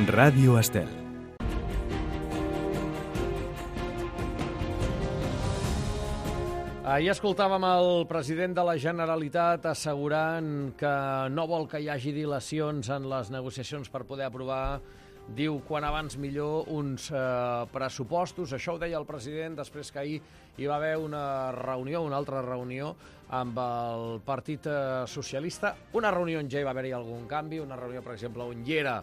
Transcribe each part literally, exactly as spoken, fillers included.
Ràdio Estel. Ahir escoltàvem el president de la Generalitat assegurant que no vol que hi hagi dilacions en les negociacions per poder aprovar, diu, quan abans millor, uns eh, pressupostos. Això ho deia el president després que ahir hi va haver una reunió, una altra reunió amb el Partit Socialista. Una reunió on ja hi va haver-hi algun canvi, una reunió, per exemple, on hi era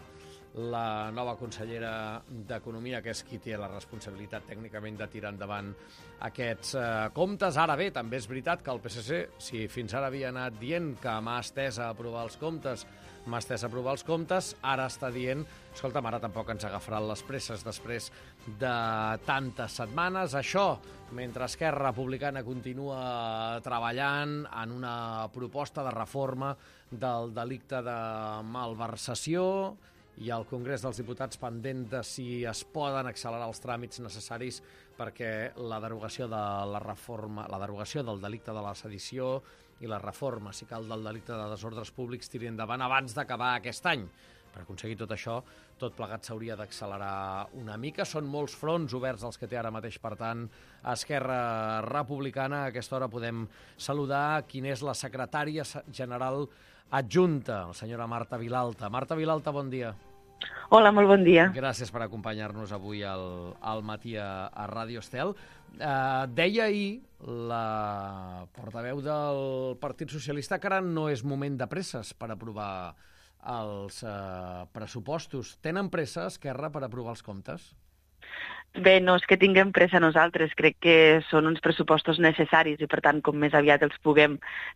la nova consellera d'Economia, que és qui té la responsabilitat tècnicament de tirar endavant aquests eh, comptes. Ara bé, també és veritat que el P S C, si fins ara havia anat dient que m'ha estès a aprovar els comptes, m'ha estès a aprovar els comptes, ara està dient, escolta'm, ara tampoc ens agafaran les presses després de tantes setmanes. Això, mentre Esquerra Republicana continua treballant en una proposta de reforma del delicte de malversació, i al Congrés dels Diputats pendent de si es poden accelerar els tràmits necessaris perquè la derogació de la reforma, la derogació del delicte de la sedició i la reforma, si cal, del delicte de desordres públics tiri endavant abans d'acabar aquest any. Per aconseguir tot això, tot plegat s'hauria d'accelerar una mica. Són molts fronts oberts els que té ara mateix, per tant, Esquerra Republicana. A aquesta hora podem saludar quina és la secretària general adjunta, la senyora Marta Vilalta. Marta Vilalta, bon dia. Hola, molt bon dia. Gràcies per acompanyar-nos avui al, al matí a, a Ràdio Estel. Uh, deia ahir la portaveu del Partit Socialista que ara no és moment de presses per aprovar els uh, pressupostos. Tenen pressa, Esquerra, per aprovar els comptes? Bé, no és que tinguem pressa nosaltres, crec que són uns pressupostos necessaris i, per tant, com més aviat els puguem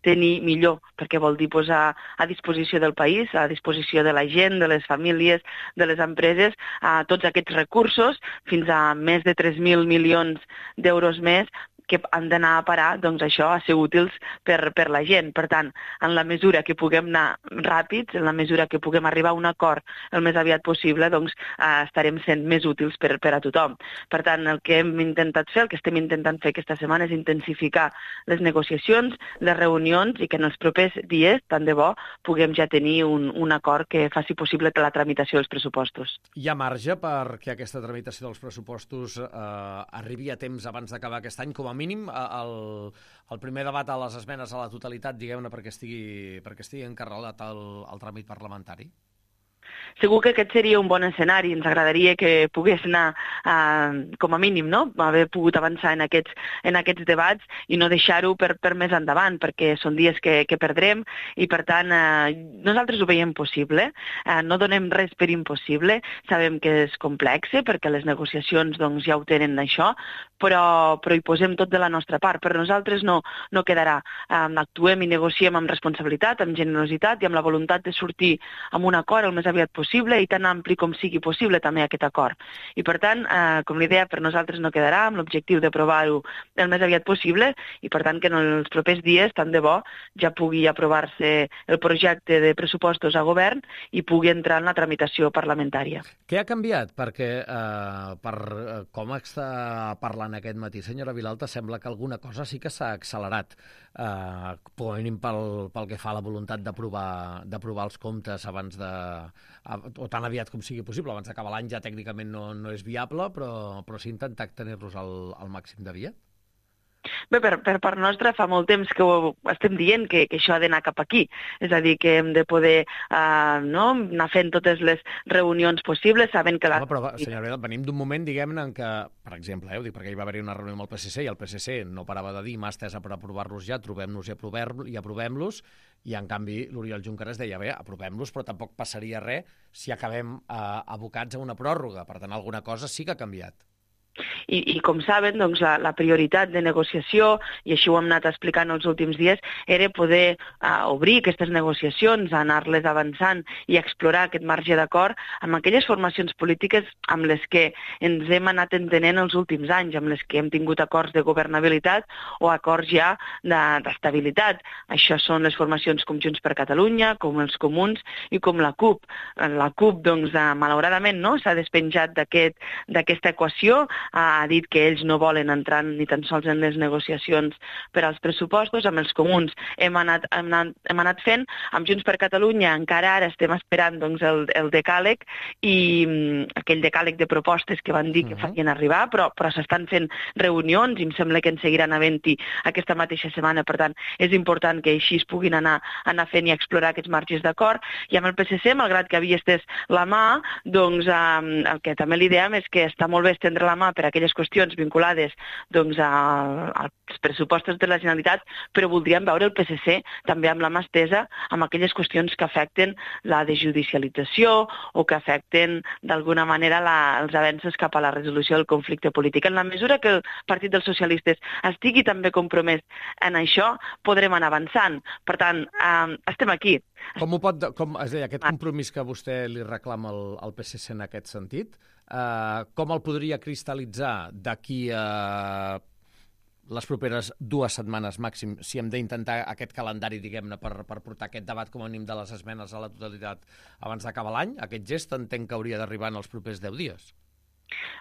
tenir, millor, perquè vol dir posar a disposició del país, a disposició de la gent, de les famílies, de les empreses, a tots aquests recursos, fins a més de tres mil milions d'euros més, que han d'anar a parar, doncs això, a ser útils per, per la gent. Per tant, en la mesura que puguem anar ràpids, en la mesura que puguem arribar a un acord el més aviat possible, doncs eh, estarem sent més útils per, per a tothom. Per tant, el que hem intentat fer, el que estem intentant fer aquesta setmana és intensificar les negociacions, les reunions, i que en els propers dies, tant de bo, puguem ja tenir un, un acord que faci possible la tramitació dels pressupostos. Hi ha marge perquè aquesta tramitació dels pressupostos eh, arribi a temps abans d'acabar aquest any, com a mínim el, el primer debat a les esmenes a la totalitat, diguem-ne, perquè estigui, perquè estigui encarregat el, el tràmit parlamentari? Segur que aquest seria un bon escenari. Ens agradaria que pogués anar, eh, com a mínim, no? haver pogut avançar en aquests, en aquests debats i no deixar-ho per, per més endavant, perquè són dies que, que perdrem i, per tant, eh, nosaltres ho veiem possible. Eh, no donem res per impossible. Sabem que és complex, perquè les negociacions doncs, ja ho tenen això, però, però hi posem tot de la nostra part. Per nosaltres no, no quedarà. Eh, actuem i negociem amb responsabilitat, amb generositat i amb la voluntat de sortir amb un acord el més aviat possible i tan ampli com sigui possible també aquest acord. I per tant, eh, com li deia, per nosaltres no quedarà, amb l'objectiu d'aprovar-ho el més aviat possible i per tant que en els propers dies, tant de bo, ja pugui aprovar-se el projecte de pressupostos a govern i pugui entrar en la tramitació parlamentària. Què ha canviat? Perquè, eh, per eh, com està parlant aquest matí, senyora Vilalta, sembla que alguna cosa sí que s'ha accelerat, eh, com a mínim pel, pel que fa a la voluntat d'aprovar d'aprovar els comptes abans de o tan aviat com sigui possible, abans d'acabar l'any ja tècnicament no, no és viable, però, però s'ha intentat tenir-los al, al màxim de via? Bé, per, per part nostra fa molt temps que ho estem dient que, que això ha d'anar cap aquí. És a dir, que hem de poder eh, no, anar fent totes les reunions possibles, sabent que la... No, però, senyora Vilalta, venim d'un moment, diguem-ne, en què, per exemple, eh, ho dic perquè hi va haver una reunió amb el P S C i el P S C no parava de dir mà estesa per aprovar-los ja, trobem-nos i, i aprovem-los, i en canvi l'Oriol Junqueras deia, bé, aprovem-los, però tampoc passaria res si acabem eh, abocats a una pròrroga. Per tant, alguna cosa sí que ha canviat. I, i com saben, doncs, la, la prioritat de negociació, i així ho hem anat explicant els últims dies, era poder uh, obrir aquestes negociacions, anar-les avançant i explorar aquest marge d'acord amb aquelles formacions polítiques amb les que ens hem anat entenent els últims anys, amb les que hem tingut acords de governabilitat o acords ja d'estabilitat. Això són les formacions com Junts per Catalunya, com els Comuns i com la CUP. La CUP, doncs, uh, malauradament, no, s'ha despenjat d'aquesta equació, uh, ha dit que ells no volen entrar ni tan sols en les negociacions per als pressupostos. Amb els comuns hem anat, hem anat, hem anat fent. Amb Junts per Catalunya encara ara estem esperant doncs, el, el decàleg i um, aquell decàleg de propostes que van dir que farien arribar, però, però s'estan fent reunions i em sembla que en seguiran havent-hi aquesta mateixa setmana. Per tant, és important que així es puguin anar, anar fent i explorar aquests marges d'acord. I amb el P S C, malgrat que havia estès la mà, doncs eh, el que també li diem és que està molt bé estendre la mà per a aquelles qüestions vinculades doncs, a, als pressupostos de la Generalitat, però voldríem veure el P S C també amb la mà estesa amb aquelles qüestions que afecten la desjudicialització o que afecten d'alguna manera la, els avenços cap a la resolució del conflicte polític. En la mesura que el Partit dels Socialistes estigui també compromès en això, podrem anar avançant. Per tant, eh, estem aquí. Com ho pot, com, és a dir, aquest compromís que vostè li reclama al, al P S C en aquest sentit, eh, com el podria cristal·litzar d'aquí a les properes dues setmanes màxim, si hem d'intentar aquest calendari, diguem-ne, per, per portar aquest debat com a mínim de les esmenes a la totalitat abans d'acabar l'any? Aquest gest entenc que hauria d'arribar en els propers deu dies.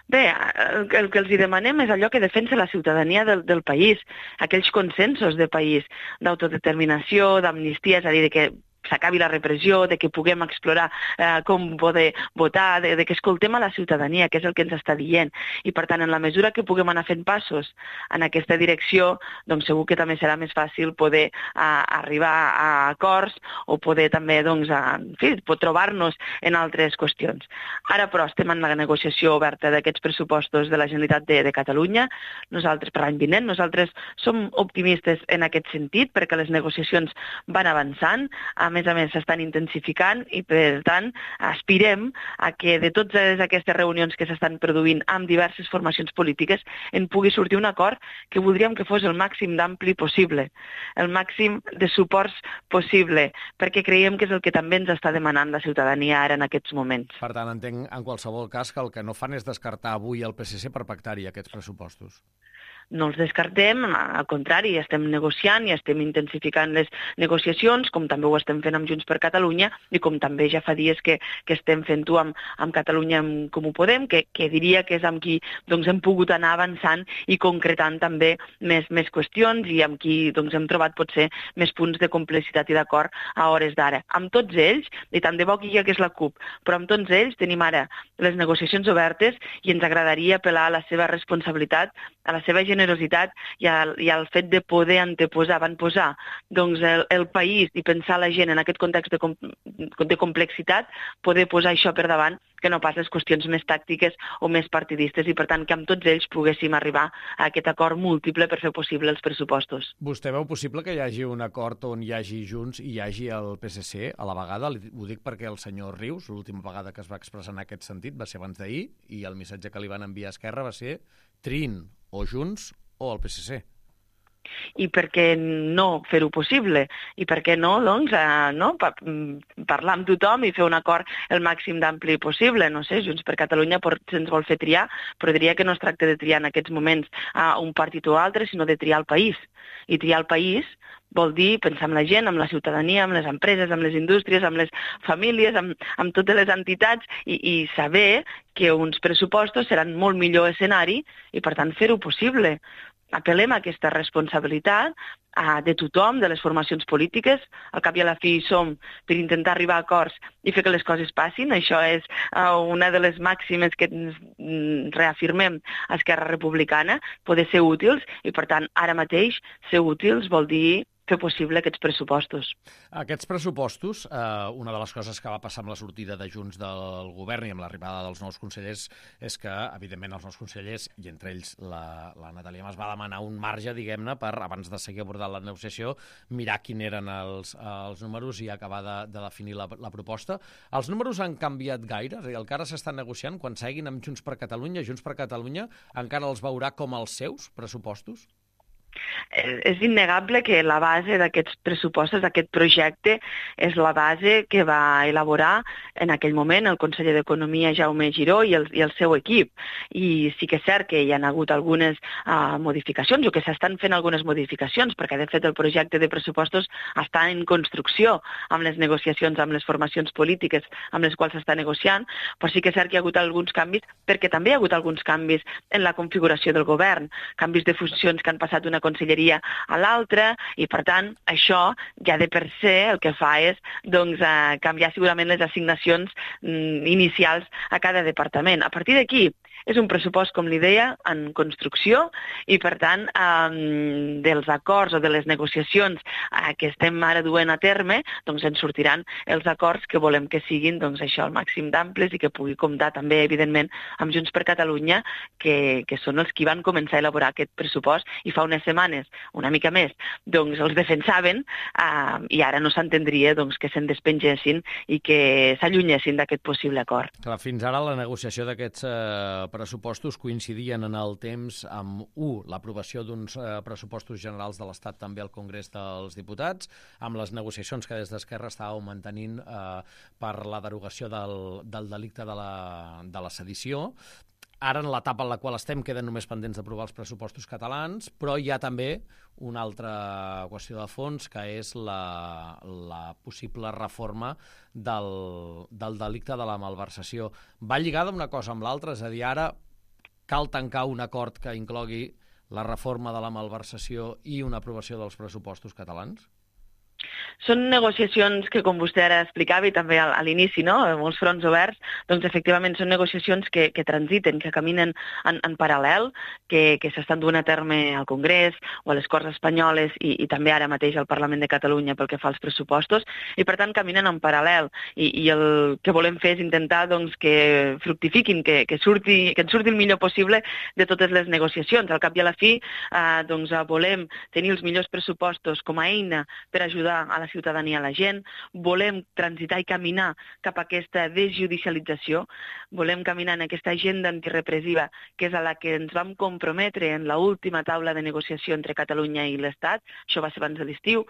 Bé, el, el que els hi demanem és allò que defensa la ciutadania del, del país, aquells consensos de país, d'autodeterminació, d'amnistia, és a dir, que s'acabi la repressió, de que puguem explorar eh, com poder votar, de, de que escoltem a la ciutadania, que és el que ens està dient. I, per tant, en la mesura que puguem anar fent passos en aquesta direcció, doncs segur que també serà més fàcil poder a, arribar a acords o poder també, doncs, a, en fi, trobar-nos en altres qüestions. Ara, però, estem en la negociació oberta d'aquests pressupostos de la Generalitat de, de Catalunya. Nosaltres, per l'any vinent, nosaltres som optimistes en aquest sentit, perquè les negociacions van avançant. A més a més, s'estan intensificant i, per tant, aspirem a que de totes aquestes reunions que s'estan produint amb diverses formacions polítiques en pugui sortir un acord que voldríem que fos el màxim d'ampli possible, el màxim de suports possible, perquè creiem que és el que també ens està demanant la ciutadania ara en aquests moments. Per tant, entenc en qualsevol cas que el que no fan és descartar avui el P S C per pactar-hi aquests pressupostos. No els descartem, al contrari, estem negociant i estem intensificant les negociacions, com també ho estem fent amb Junts per Catalunya i com també ja fa dies que, que estem fent-ho amb, amb Catalunya amb Com ho Podem, que, que diria que és amb qui doncs, hem pogut anar avançant i concretant també més, més qüestions i amb qui doncs, hem trobat potser més punts de complicitat i d'acord a hores d'ara. Amb tots ells, i tant de bo que hi hagués la CUP, però amb tots ells tenim ara les negociacions obertes i ens agradaria apel·lar a la seva responsabilitat, a la seva generositat i al, i al fet de poder anteposar, avantposar doncs, el, el país i pensar la gent en aquest context de, com, de complexitat, poder posar això per davant que no pas les qüestions més tàctiques o més partidistes i, per tant, que amb tots ells poguéssim arribar a aquest acord múltiple per fer possible els pressupostos. Vostè veu possible que hi hagi un acord on hi hagi Junts i hi hagi el P S C a la vegada? Ho dic perquè el senyor Rius, l'última vegada que es va expressar en aquest sentit, va ser abans d'ahir, i el missatge que li van enviar a Esquerra va ser triïn o Junts o el P S C. I per què no fer-ho possible? I per què no, doncs, eh, no? Pa parlar amb tothom i fer un acord el màxim d'ampli possible? No sé, Junts per Catalunya se'ns vol fer triar, però diria que no es tracta de triar en aquests moments a un partit o altre, sinó de triar el país. I triar el país vol dir pensar en la gent, amb la ciutadania, amb les empreses, amb les indústries, amb les famílies, amb, amb totes les entitats i, i saber que uns pressupostos seran molt millor escenari i, per tant, fer-ho possible. Apel·lem a aquesta responsabilitat a, de tothom, de les formacions polítiques. Al cap i a la fi som per intentar arribar a acords i fer que les coses passin. Això és uh, una de les màximes que ens reafirmem a Esquerra Republicana, poder ser útils i, per tant, ara mateix ser útils vol dir fer possible aquests pressupostos. Aquests pressupostos, eh, una de les coses que va passar amb la sortida de Junts del govern i amb l'arribada dels nous consellers és que, evidentment, els nous consellers, i entre ells la, la Natàlia Mas, va demanar un marge, diguem-ne, per, abans de seguir abordant la negociació, mirar quin eren els, els números i acabar de, de definir la, la proposta. Els números han canviat gaire? És a dir, el que ara s'estan negociant, quan seguin amb Junts per Catalunya, Junts per Catalunya encara els veurà com els seus pressupostos? és innegable que la base d'aquests pressupostos, d'aquest projecte, és la base que va elaborar en aquell moment el conseller d'Economia Jaume Giró i el, i el seu equip. I sí que és cert que hi ha hagut algunes uh, modificacions o que s'estan fent algunes modificacions, perquè de fet el projecte de pressupostos està en construcció amb les negociacions amb les formacions polítiques amb les quals s'està negociant, però sí que és cert que hi ha hagut alguns canvis, perquè també hi ha hagut alguns canvis en la configuració del govern, canvis de funcions que han passat d'una conselleria a l'altra, i per tant això ja de per se el que fa és doncs, eh, canviar segurament les assignacions mm, inicials a cada departament. A partir d'aquí, és un pressupost, com li deia, en construcció i, per tant, eh, dels acords o de les negociacions eh, que estem ara duent a terme, doncs ens sortiran els acords que volem que siguin doncs, això al màxim d'amples i que pugui comptar també, evidentment, amb Junts per Catalunya, que, que són els qui van començar a elaborar aquest pressupost i fa unes setmanes, una mica més, doncs els defensaven eh, i ara no s'entendria doncs, que se'n despengessin i que s'allunyessin d'aquest possible acord. Clar, fins ara la negociació d'aquests eh, pressupostos coincidien en el temps amb, u, l'aprovació d'uns eh, pressupostos generals de l'Estat també al Congrés dels Diputats, amb les negociacions que des d'Esquerra estàveu mantenint eh, per la derogació del, del delicte de la, de la sedició. Ara, en l'etapa en la qual estem, queden només pendents d'aprovar els pressupostos catalans, però hi ha també una altra qüestió de fons, que és la, la possible reforma del, del delicte de la malversació. Va lligada una cosa amb l'altra, és a dir, ara cal tancar un acord que inclogui la reforma de la malversació i una aprovació dels pressupostos catalans? Són negociacions que, com vostè ara explicava, i també a l'inici, no?, molts fronts oberts, doncs efectivament són negociacions que, que transiten, que caminen en, en paral·lel, que, que s'estan duent a terme al Congrés o a les Corts Espanyoles i, i també ara mateix al Parlament de Catalunya pel que fa als pressupostos, i per tant caminen en paral·lel. I, i el que volem fer és intentar doncs, que fructifiquin, que, que, surti, que en surti el millor possible de totes les negociacions. Al cap i a la fi, eh, doncs, volem tenir els millors pressupostos com a eina per ajudar a la ciutadania, a la gent, volem transitar i caminar cap a aquesta desjudicialització, volem caminar en aquesta agenda antirepressiva que és a la que ens vam comprometre en l'última taula de negociació entre Catalunya i l'Estat, això va ser abans de l'estiu,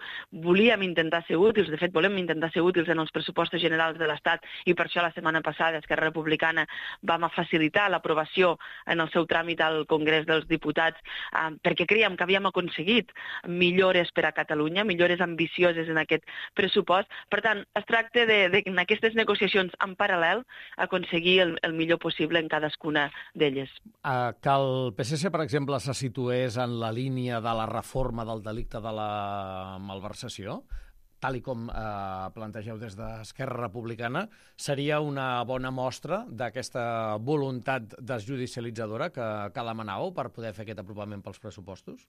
volíem intentar ser útils, de fet volem intentar ser útils en els pressupostos generals de l'Estat i per això la setmana passada Esquerra Republicana vam facilitar l'aprovació en el seu tràmit al Congrés dels Diputats eh, perquè creiem que havíem aconseguit millores per a Catalunya, millores ambicioses en aquest pressupost. Per tant, es tracta de, de en aquestes negociacions en paral·lel aconseguir el, el millor possible en cadascuna d'elles. Uh, que el P S C, per exemple, se situés en la línia de la reforma del delicte de la malversació, tal i com eh, plantegeu des d'Esquerra Republicana, seria una bona mostra d'aquesta voluntat desjudicialitzadora que, que demanàveu per poder fer aquest aprovament pels pressupostos?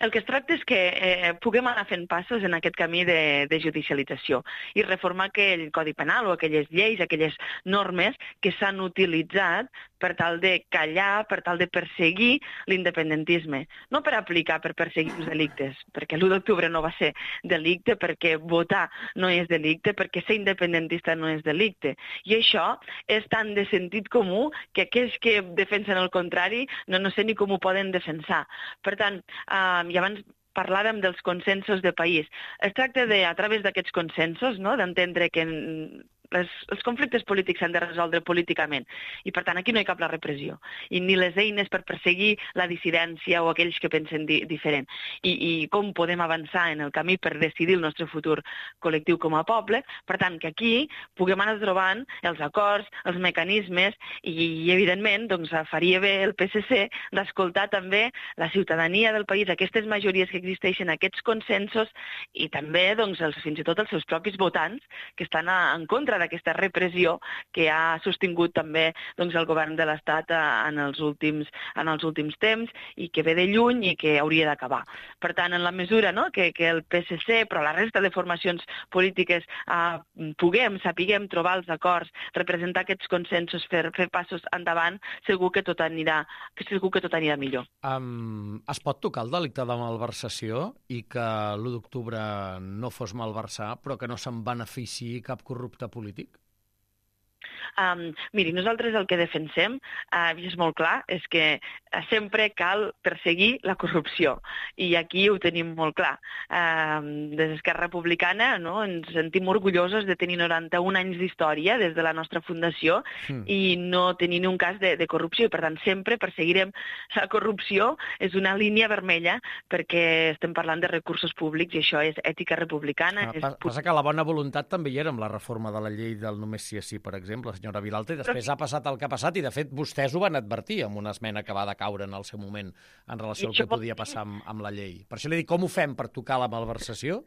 El que es tracta és que eh, puguem anar fent passos en aquest camí de, de judicialització i reformar aquell codi penal o aquelles lleis, aquelles normes que s'han utilitzat per tal de callar, per tal de perseguir l'independentisme. No per aplicar, per perseguir els delictes, perquè l'u d'octubre no va ser delicte, perquè votar no és delicte, perquè ser independentista no és delicte. I això és tan de sentit comú que aquells que defensen el contrari no, no sé ni com ho poden defensar. Per tant, eh, i abans parlàvem dels consensos de país. Es tracta de, a través d'aquests consensos, no?, d'entendre que les, els conflictes polítics s'han de resoldre políticament i, per tant, aquí no hi cap la repressió i ni les eines per perseguir la dissidència o aquells que pensen di diferent. I, I com podem avançar en el camí per decidir el nostre futur col·lectiu com a poble. Per tant, que aquí puguem anar trobant els acords, els mecanismes i, i evidentment, doncs, faria bé el P S C d'escoltar també la ciutadania del país, aquestes majories que existeixen, aquests consensos i també, doncs, els, fins i tot els seus propis votants que estan a, en contra d'aquesta repressió que ha sostingut també doncs, el govern de l'Estat en els últims en els últims temps i que ve de lluny i que hauria d'acabar. Per tant, en la mesura, no?, que, que el P S C, però la resta de formacions polítiques eh, puguem, sapiguem trobar els acords, representar aquests consensos, fer, fer passos endavant, segur que tot anirà, que segur que tot anirà millor. Um, es pot tocar el delicte de malversació i que l'u d'octubre no fos malversar, però que no se'n beneficiï cap corrupte polític? Um, miri, nosaltres el que defensem, uh, és molt clar, és que uh, sempre cal perseguir la corrupció. I aquí ho tenim molt clar. Uh, des d'Esquerra Republicana, no, ens sentim orgullosos de tenir noranta-un anys d'història des de la nostra fundació mm. i no tenir ni un cas de, de corrupció. I, per tant, sempre perseguirem la corrupció. És una línia vermella perquè estem parlant de recursos públics i això és ètica republicana. Ah, és... Passa que la bona voluntat també hi era amb la reforma de la llei del només sí és sí, per exemple, la senyora Vilalta, i després Però... ha passat el que ha passat i, de fet, vostès ho van advertir amb una esmena que va decaure en el seu moment en relació al que podia passar amb, amb la llei. Per això li dic, com ho fem per tocar la malversació?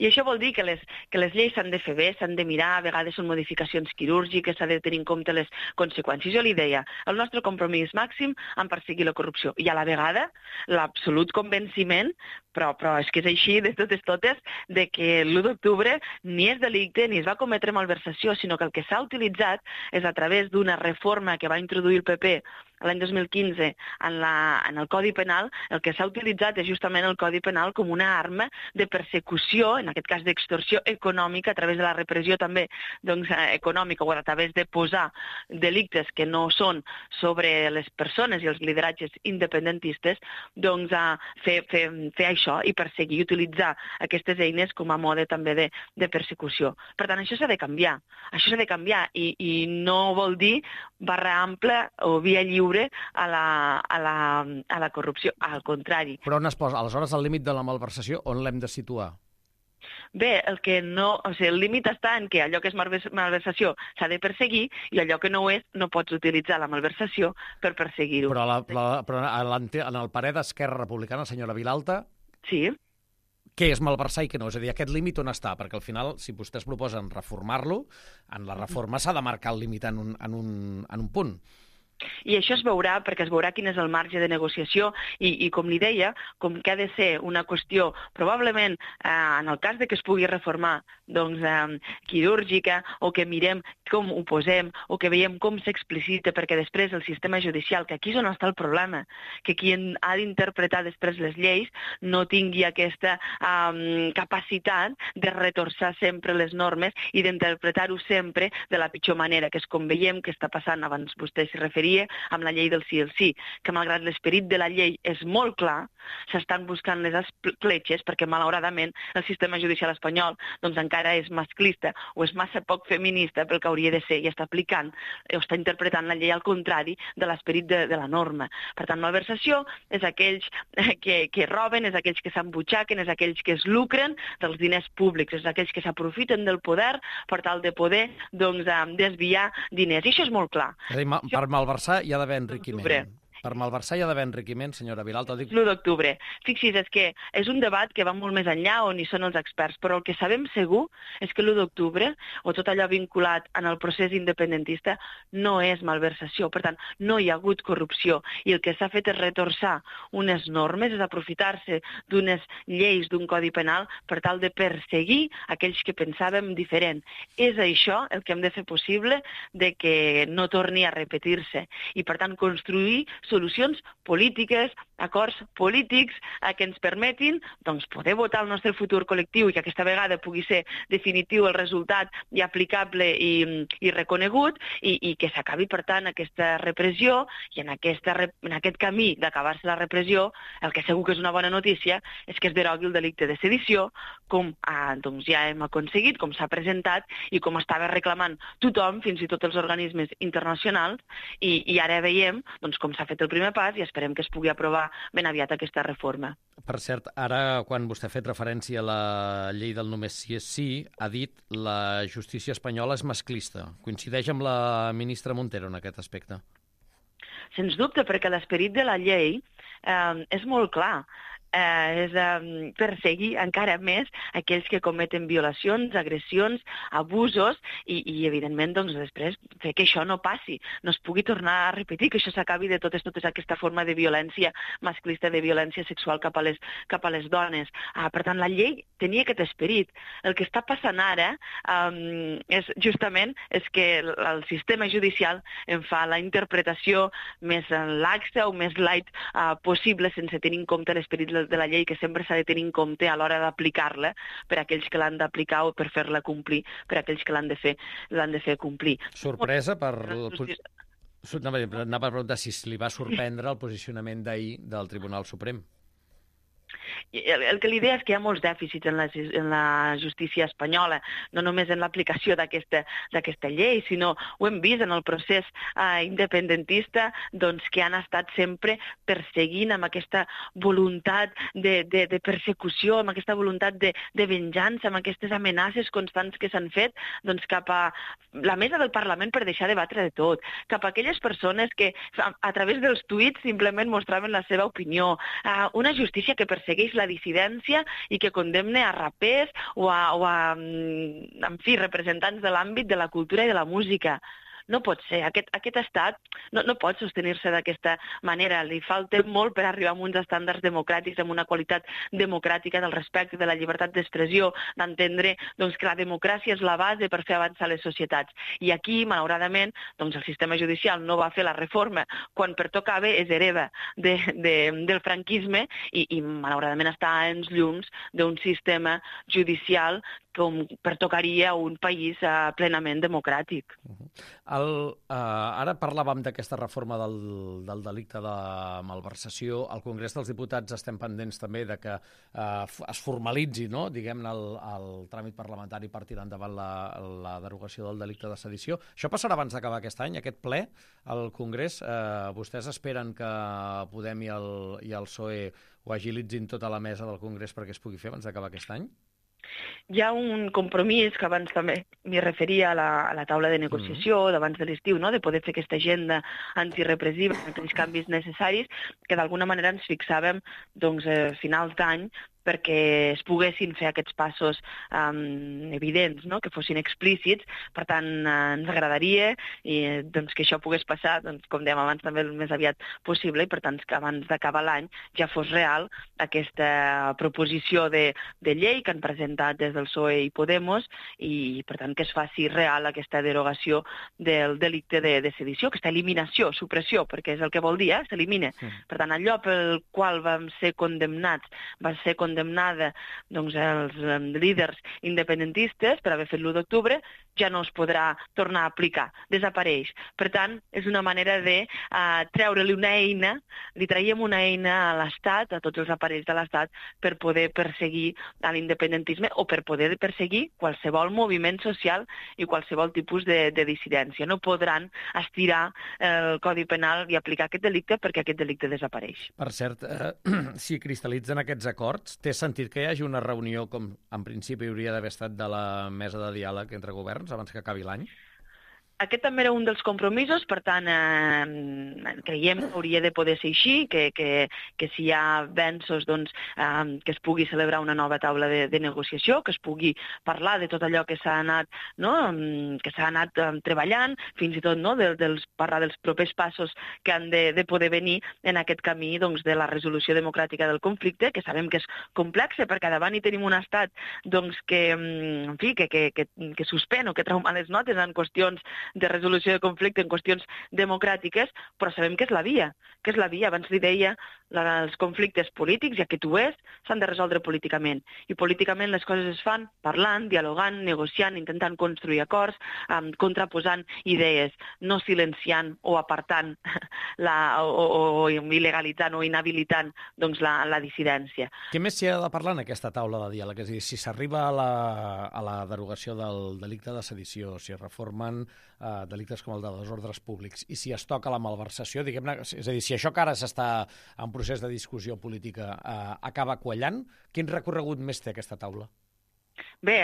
I això vol dir que les, que les lleis s'han de fer bé, s'han de mirar, a vegades són modificacions quirúrgiques, s'ha de tenir en compte les conseqüències. Jo li deia, el nostre compromís màxim en perseguir la corrupció i a la vegada l'absolut convenciment, però, però és que és així de totes totes, de que l'u d'octubre ni és delicte ni es va cometre malversació, sinó que el que s'ha utilitzat és a través d'una reforma que va introduir el P P l'any dos mil quinze en, la, en el Codi Penal. El que s'ha utilitzat és justament el Codi Penal com una arma de persecució, en aquest cas d'extorsió econòmica, a través de la repressió també doncs, econòmica, o a través de posar delictes que no són sobre les persones i els lideratges independentistes, doncs a fer, fer, fer això i perseguir i utilitzar aquestes eines com a mode també de, de persecució. Per tant, això s'ha de canviar. Això s'ha de canviar i, i no vol dir barra ampla o via lliure a la, a la, a la corrupció, al contrari. Però on es posa, aleshores, el límit de la malversació, on l'hem de situar? Bé, el que no, o sigui, el límit està en que allò que és malversació s'ha de perseguir i allò que no ho és no pots utilitzar la malversació per perseguir-ho. Però, la, la, però en el parer d'Esquerra Republicana, senyora Vilalta, sí. Què és malversar i què no? És a dir, aquest límit on està? Perquè al final, si vostès proposen reformar-lo, en la reforma s'ha de marcar el límit en un, en un, en un punt. I això es veurà, perquè es veurà quin és el marge de negociació i, i com li deia, com que ha de ser una qüestió, probablement, eh, en el cas de que es pugui reformar, doncs, eh, quirúrgica, o que mirem com ho posem, o que veiem com s'explicita, perquè després el sistema judicial, que aquí és on està el problema, que qui ha d'interpretar després les lleis no tingui aquesta eh, capacitat de retorçar sempre les normes i d'interpretar-ho sempre de la pitjor manera, que és com veiem que està passant, abans vostè s'hi referia, amb la llei del sí el sí, que malgrat l'esperit de la llei és molt clar, s'estan buscant les escletxes perquè malauradament el sistema judicial espanyol doncs encara és masclista o és massa poc feminista pel que hauria de ser i està aplicant o està interpretant la llei al contrari de l'esperit de, de la norma. Per tant, malversació és aquells que, que roben, és aquells que s'embutxaquen, és aquells que es lucren dels diners públics, és aquells que s'aprofiten del poder per tal de poder doncs, desviar diners. I això és molt clar. És a dir, per malversar hi ha d'haver enriquiment. Per malversar hi ha d'haver enriquiment, senyora Vilalta. Dic... l'u d'octubre. Fixi's, és que és un debat que va molt més enllà on hi són els experts, però el que sabem segur és que l'u d'octubre, o tot allò vinculat en el procés independentista, no és malversació. Per tant, no hi ha hagut corrupció. I el que s'ha fet és retorçar unes normes, és aprofitar-se d'unes lleis, d'un codi penal, per tal de perseguir aquells que pensàvem diferent. És això el que hem de fer possible de que no torni a repetir-se. I, per tant, construir solucions polítiques, acords polítics eh, que ens permetin doncs, poder votar el nostre futur col·lectiu i que aquesta vegada pugui ser definitiu el resultat i aplicable i, i reconegut i, i que s'acabi, per tant, aquesta repressió i en, aquesta, en aquest camí d'acabar-se la repressió, el que segur que és una bona notícia és que es derogui el delicte de sedició, com eh, doncs, ja hem aconseguit, com s'ha presentat i com estava reclamant tothom, fins i tot els organismes internacionals, i, i ara veiem doncs, com s'ha fet el primer pas i esperem que es pugui aprovar ben aviat aquesta reforma. Per cert, ara, quan vostè ha fet referència a la llei del només sí és sí, ha dit la justícia espanyola és masclista. Coincideix amb la ministra Montero en aquest aspecte? Sens dubte, perquè l'esperit de la llei eh, és molt clar. Eh, és eh, perseguir encara més aquells que cometen violacions, agressions, abusos i, i evidentment, doncs, després fer que això no passi, no es pugui tornar a repetir, que això s'acabi de totes, totes aquesta forma de violència masclista, de violència sexual cap a les, cap a les dones. Ah, per tant, la llei tenia aquest esperit. El que està passant ara eh, és justament és que el, el sistema judicial en fa la interpretació més laxa o més light eh, possible sense tenir en compte l'esperit del de, de la llei que sempre s'ha de tenir en compte a l'hora d'aplicar-la per a aquells que l'han d'aplicar o per fer-la complir per a aquells que l'han de fer l'han de fer complir. Sorpresa per... Anava a preguntar si li va sorprendre el posicionament d'ahir del Tribunal Suprem. El, el que li deia és que hi ha molts dèficits en la, en la justícia espanyola, no només en l'aplicació d'aquesta d'aquesta llei, sinó ho hem vist en el procés eh, independentista, doncs, que han estat sempre perseguint amb aquesta voluntat de, de, de persecució, amb aquesta voluntat de, de venjança, amb aquestes amenaces constants que s'han fet doncs, cap a la mesa del Parlament per deixar de debatre de tot, cap a aquelles persones que a, a través dels tuits simplement mostraven la seva opinió, eh, una justícia que persegueix la dissidència i que condemna a rapers o a, o a en fi, representants de l'àmbit de la cultura i de la música. No pot ser. Aquest, aquest estat no, no pot sostenir-se d'aquesta manera. Li falta molt per arribar a uns estàndards democràtics, amb una qualitat democràtica del respecte, de la llibertat d'expressió, d'entendre doncs, que la democràcia és la base per fer avançar les societats. I aquí, malauradament, doncs, el sistema judicial no va fer la reforma quan pertocava, és hereva de, de, del franquisme i, i malauradament està a anys llums d'un sistema judicial com pertocaria a un país uh, plenament democràtic. El, uh, ara parlàvem d'aquesta reforma del, del delicte de malversació. Al Congrés dels Diputats estem pendents també de que uh, es formalitzi, no? diguem-ne, el, el tràmit parlamentari per tirar endavant la, la derogació del delicte de sedició. Això passarà abans d'acabar aquest any, aquest ple al Congrés. Uh, vostès esperen que Podem i el, i el P S O E ho agilitzin tota la mesa del Congrés perquè es pugui fer abans d'acabar aquest any? Hi ha un compromís, que abans també m'hi referia a la, a la taula de negociació mm. d'abans de l'estiu, no? de poder fer aquesta agenda antirepressiva, aquells canvis necessaris, que d'alguna manera ens fixàvem doncs, a finals d'any perquè es poguessin fer aquests passos um, evidents, no? que fossin explícits. Per tant, eh, ens agradaria i, doncs, que això pogués passar, doncs, com dèiem abans, també el més aviat possible, i per tant que abans d'acabar l'any ja fos real aquesta proposició de, de llei que han presentat des del P S O E i Podemos i, per tant, que es faci real aquesta derogació del delicte de, de sedició, aquesta eliminació, supressió, perquè és el que vol dir, eh? s'elimina. Sí. Per tant, allò pel qual vam ser condemnats, va ser condemnats condemnada doncs, els um, líders independentistes per haver fet l'u d'octubre, ja no es podrà tornar a aplicar, desapareix. Per tant, és una manera de uh, treure-li una eina, li traiem una eina a l'Estat, a tots els aparells de l'Estat, per poder perseguir a l'independentisme o per poder perseguir qualsevol moviment social i qualsevol tipus de, de dissidència. No podran estirar el Codi Penal i aplicar aquest delicte perquè aquest delicte desapareix. Per cert, eh, si cristal·litzen aquests acords, té sentit que hi hagi una reunió, com en principi hauria d'haver estat, de la mesa de diàleg entre governs abans que acabi l'any? Aquest també era un dels compromisos, per tant, eh, creiem que hauria de poder ser així, que, que, que si hi ha avenços, doncs, eh, que es pugui celebrar una nova taula de, de negociació, que es pugui parlar de tot allò que s'ha anat, no? que s'ha anat eh, treballant, fins i tot no? de, dels, parlar dels propers passos que han de, de poder venir en aquest camí doncs, de la resolució democràtica del conflicte, que sabem que és complex, perquè davant hi tenim un estat doncs, que, en fi, que, que, que, que suspèn o que treu males notes en qüestions de resolució de conflicte en qüestions democràtiques, però sabem que és la via, que és la via. Abans li deia, la, els conflictes polítics, ja que tu és, s'han de resoldre políticament. I políticament les coses es fan parlant, dialogant, negociant, intentant construir acords, um, contraposant idees, no silenciant o apartant la, o, o, o il·legalitzant o inhabilitant doncs, la, la dissidència. Què més s'hi ha de parlar en aquesta taula de diàleg? És a dir, si s'arriba a, la, a la derogació del delicte de sedició, si es reformen eh, delictes com el de desordres públics i si es toca la malversació, diguem-ne, és a dir, si això que ara s'està en procés de discussió política eh, acaba quallant, quin recorregut més té aquesta taula? Bé,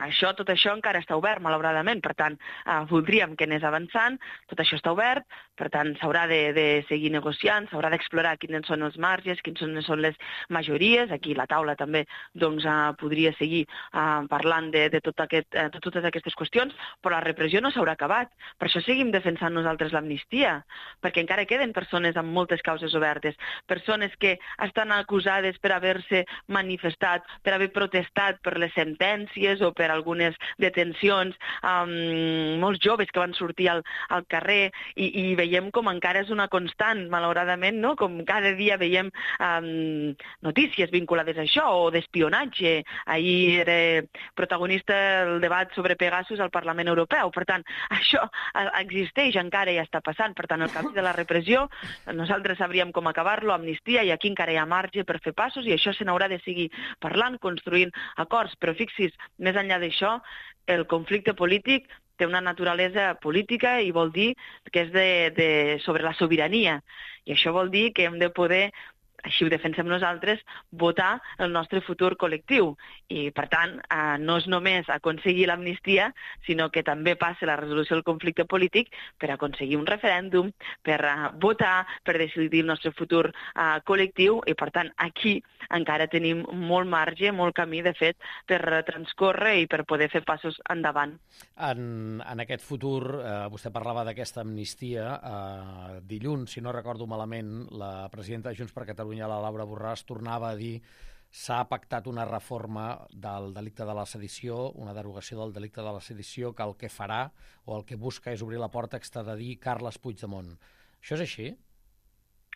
això, tot això encara està obert, malauradament, per tant, eh, voldríem que anés avançant, tot això està obert, per tant, s'haurà de, de seguir negociant, s'haurà d'explorar quins són els marges, quines són, són les majories, aquí la taula també doncs, eh, podria seguir eh, parlant de, de, tot aquest, eh, de totes aquestes qüestions, però la repressió no s'haurà acabat, per això seguim defensant nosaltres l'amnistia, perquè encara queden persones amb moltes causes obertes, persones que estan acusades per haver-se manifestat, per haver protestat per les sentències, violències o per algunes detencions, um, molts joves que van sortir al, al carrer, i, i veiem com encara és una constant, malauradament, no? Com cada dia veiem um, notícies vinculades a això, o d'espionatge. Ahir era protagonista el debat sobre Pegasus al Parlament Europeu. Per tant, això existeix encara i està passant. Per tant, el camí de la repressió, nosaltres sabríem com acabar-lo, amnistia, i aquí encara hi ha marge per fer passos, i això se n'haurà de seguir parlant, construint acords. Però fixis, més enllà d'això, el conflicte polític té una naturalesa política i vol dir que és de, de, sobre la sobirania. I això vol dir que hem de poder, així ho defensem nosaltres, votar el nostre futur col·lectiu. I, per tant, eh, no és només aconseguir l'amnistia, sinó que també passa la resolució del conflicte polític per aconseguir un referèndum, per eh, votar, per decidir el nostre futur eh, col·lectiu, i, per tant, aquí encara tenim molt marge, molt camí, de fet, per transcórrer i per poder fer passos endavant. En, en aquest futur, eh, vostè parlava d'aquesta amnistia. Eh, dilluns, si no recordo malament, la presidenta de Junts per Catalunya, la Laura Borràs, tornava a dir s'ha pactat una reforma del delicte de la sedició, una derogació del delicte de la sedició, que el que farà o el que busca és obrir la porta a extradir Carles Puigdemont. Això és així?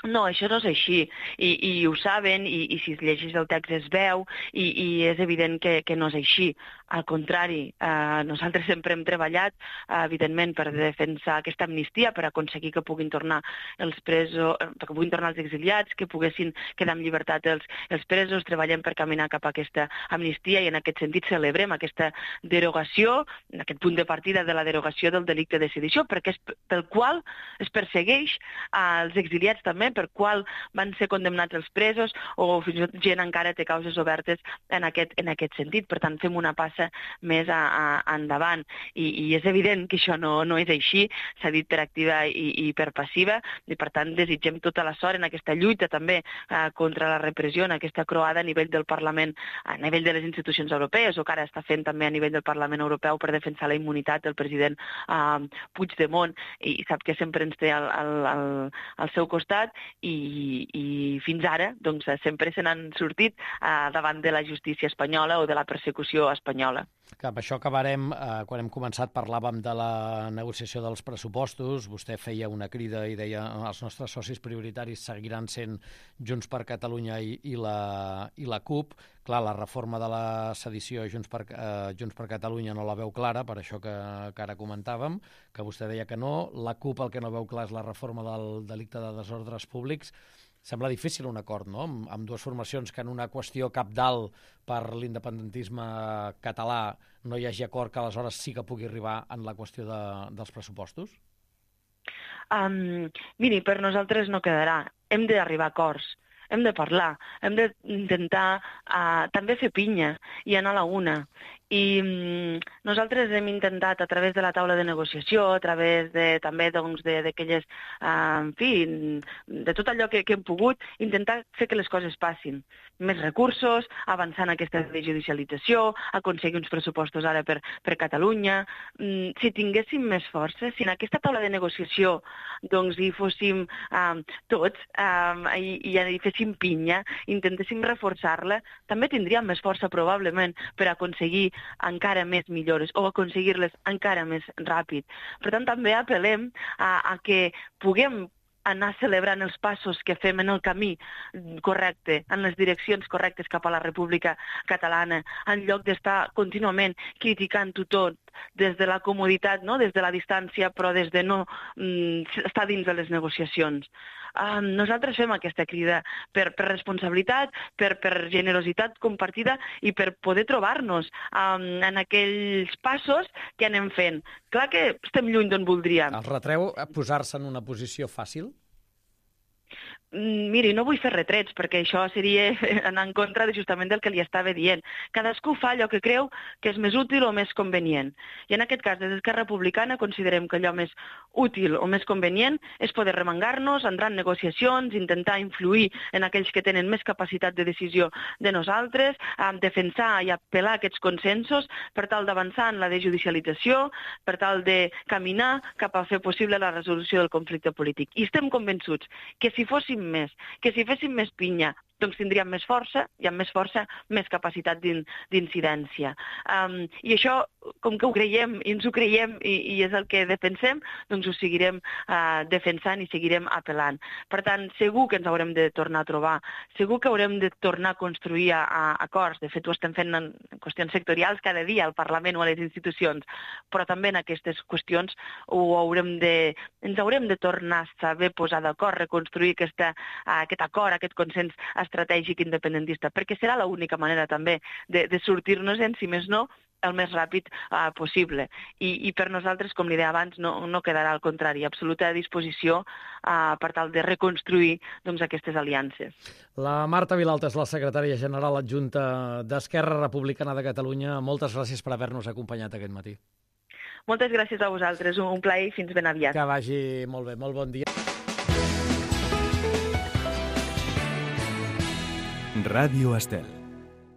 No, això no és així, i, i ho saben, i, i si es llegeix el text es veu, i, i és evident que, que no és així. Al contrari, eh, nosaltres sempre hem treballat, eh, evidentment, per defensar aquesta amnistia, per aconseguir que puguin tornar els presos, que puguin tornar els exiliats, que poguessin quedar en llibertat els, els presos. Treballem per caminar cap a aquesta amnistia, i en aquest sentit celebrem aquesta derogació, aquest punt de partida de la derogació del delicte de sedició, perquè és pel qual es persegueix als exiliats també, per qual van ser condemnats els presos, o fins i tot gent encara té causes obertes en aquest, en aquest sentit. Per tant, fem una passa més a, a, endavant. I, I és evident que això no, no és així, s'ha dit per activa i, i per passiva, i per tant desitgem tota la sort en aquesta lluita també eh, contra la repressió, en aquesta croada a nivell del Parlament, a nivell de les institucions europees, o que ara està fent també a nivell del Parlament Europeu per defensar la immunitat del president eh, Puigdemont, i sap que sempre ens té al, al, al, al seu costat. I, i fins ara doncs, sempre se n'han sortit eh, davant de la justícia espanyola o de la persecució espanyola. Que amb això acabarem. Eh, quan hem començat parlàvem de la negociació dels pressupostos. Vostè feia una crida i deia que els nostres socis prioritaris seguiran sent Junts per Catalunya i, i, la, i la CUP. Clar, la reforma de la sedició Junts per, eh, Junts per Catalunya no la veu clara, per això que, que ara comentàvem, que vostè deia que no. La CUP el que no veu clar és la reforma del delicte de desordres públics. Sembla difícil un acord, no?, amb, amb dues formacions que en una qüestió cabdal per l'independentisme català no hi hagi acord, que aleshores sí que pugui arribar en la qüestió de, dels pressupostos? Um, miri, per nosaltres no quedarà. Hem d'arribar a acords. Hem de parlar, hem d'intentar uh, també fer pinya i anar a la una. I um, nosaltres hem intentat, a través de la taula de negociació, a través de, també doncs, d'aquelles, uh, en fi, de tot allò que, que hem pogut, intentar fer que les coses passin. Més recursos, avançar en aquesta judicialització, aconseguir uns pressupostos ara per, per Catalunya. Um, si tinguéssim més força, si en aquesta taula de negociació doncs, hi fóssim um, tots um, i, i hi féssim pinya, intentéssim reforçar-la, també tindríem més força probablement per aconseguir encara més millores o aconseguir-les encara més ràpid. Per tant, també apel·lem a, a que puguem anar celebrant els passos que fem en el camí correcte, en les direccions correctes cap a la República Catalana, en lloc d'estar contínuament criticant-ho tot des de la comoditat, no? Des de la distància, però des de no mm, estar dins de les negociacions. Um, nosaltres fem aquesta crida per, per responsabilitat, per, per generositat compartida i per poder trobar-nos um, en aquells passos que anem fent. Clar que estem lluny d'on voldríem. Els retreu a posar-se en una posició fàcil? Miri, no vull fer retrets, perquè això seria anar en contra de justament del que li estava dient. Cadascú fa allò que creu que és més útil o més convenient. I en aquest cas, des d'Esquerra Republicana, considerem que allò més útil o més convenient és poder remengar-nos, entrar en negociacions, intentar influir en aquells que tenen més capacitat de decisió de nosaltres, defensar i apel·lar aquests consensos per tal d'avançar en la desjudicialització, per tal de caminar cap a fer possible la resolució del conflicte polític. I estem convençuts que si fóssim més, que si féssim més pinya, doncs tindríem més força, i amb més força, més capacitat d'incidència. Um, I això, com que ho creiem, i ens ho creiem, i, i és el que defensem, doncs ho seguirem uh, defensant i seguirem apel·lant. Per tant, segur que ens haurem de tornar a trobar, segur que haurem de tornar a construir a, a acords. De fet, ho estem fent en qüestions sectorials cada dia al Parlament o a les institucions, però també en aquestes qüestions ho haurem de, ens haurem de tornar a saber posar d'acord, reconstruir aquesta, aquest acord, aquest consens estratègic independentista, perquè serà l'única manera també de, de sortir-nos-en, si més no, el més ràpid uh, possible. I, I per nosaltres, com li deia abans, no, no quedarà al contrari, absoluta disposició uh, per tal de reconstruir doncs, aquestes aliances. La Marta Vilalta és la secretària general adjunta d'Esquerra Republicana de Catalunya. Moltes gràcies per haver-nos acompanyat aquest matí. Moltes gràcies a vosaltres, un plaer i fins ben aviat. Que vagi molt bé, molt bon dia. Ràdio Estel.